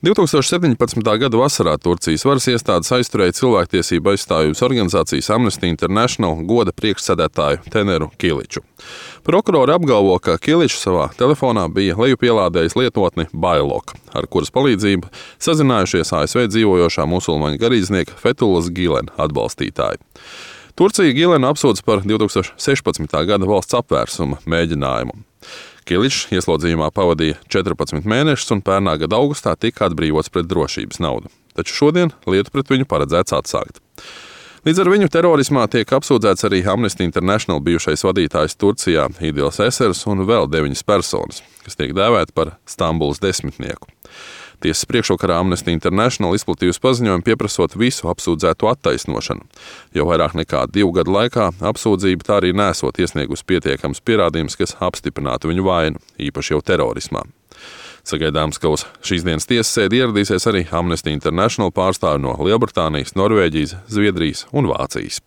2017. gada vasarā Turcijas varas iestādes aizturēja cilvēktiesību aizstāvības organizācijas Amnesty International goda priekšsēdētāju Teneru Kiliču. Prokurori apgalvo, ka Kiličs savā telefonā bija lejupielādējis lietotni Bailok, ar kuras palīdzību sazinājušies ASV dzīvojošā musulmaņu garīdznieka Fethulas Gilena atbalstītāji. Turcija Gilenu apsūdz par 2016. gada valsts apvērsuma mēģinājumu. Kiličs ieslodzījumā pavadīja 14 mēnešus un pērnā gada augustā tika atbrīvots pret drošības naudu. Taču šodien lietu pret viņu paredzēts atsākt. Līdz ar viņu terorismā tiek apsūdzēts arī Amnesty International bijušais vadītājs Turcijā Idils Esers un vēl 9 personas, kas tiek dēvēti par Stambulas desmitnieku. Tiesas priekšvakarā Amnesty International izplatījusi paziņojumu pieprasot visu apsūdzēto attaisnošanu. Jau vairāk nekā 2 gadu laikā apsūdzība tā arī nesot iesniegusi pietiekams pierādījums, kas apstiprinātu viņu vainu, īpaši jau terorismā. Sagaidāms, ka uz šīs dienas tiesas sēdi ieradīsies arī Amnesty International pārstāvi no Lielbritānijas, Norvēģijas, Zviedrijas un Vācijas.